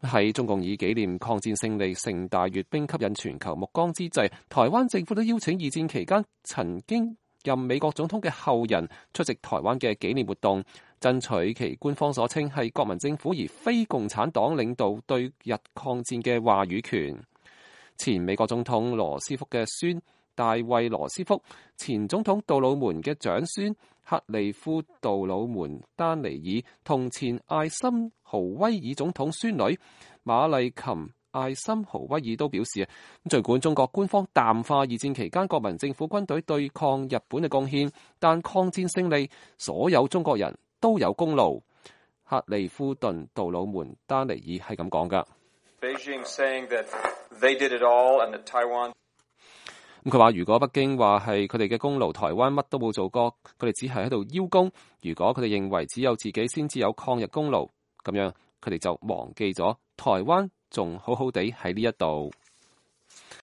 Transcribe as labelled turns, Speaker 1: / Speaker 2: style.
Speaker 1: 喺中共以紀念抗戰勝利成大閱兵吸引全球目光之際，台灣政府都邀請二戰期間曾經任美國總統嘅後人出席台灣嘅紀念活動，爭取其官方所稱係國民政府而非共產黨領導對日抗戰嘅話語權。前美國總統羅斯福嘅孫大衛羅斯福，前總統杜魯門嘅長孫克利夫杜魯門丹尼爾同前艾森豪威爾總統孫女馬麗琴艾森豪威爾都表示，儘管中國官方淡化二戰期間國民政府軍隊對抗日本嘅貢獻，但抗戰勝利所有中國人都有功勞。克利夫頓杜魯門丹尼爾係咁講㗎。佢話如果北京話係佢哋嘅功勞，台灣乜都冇做過，佢哋只係喺度邀功。如果佢哋認為只有自己先至有抗日功勞，咁樣佢哋就忘記咗台灣仲好好地喺呢一度。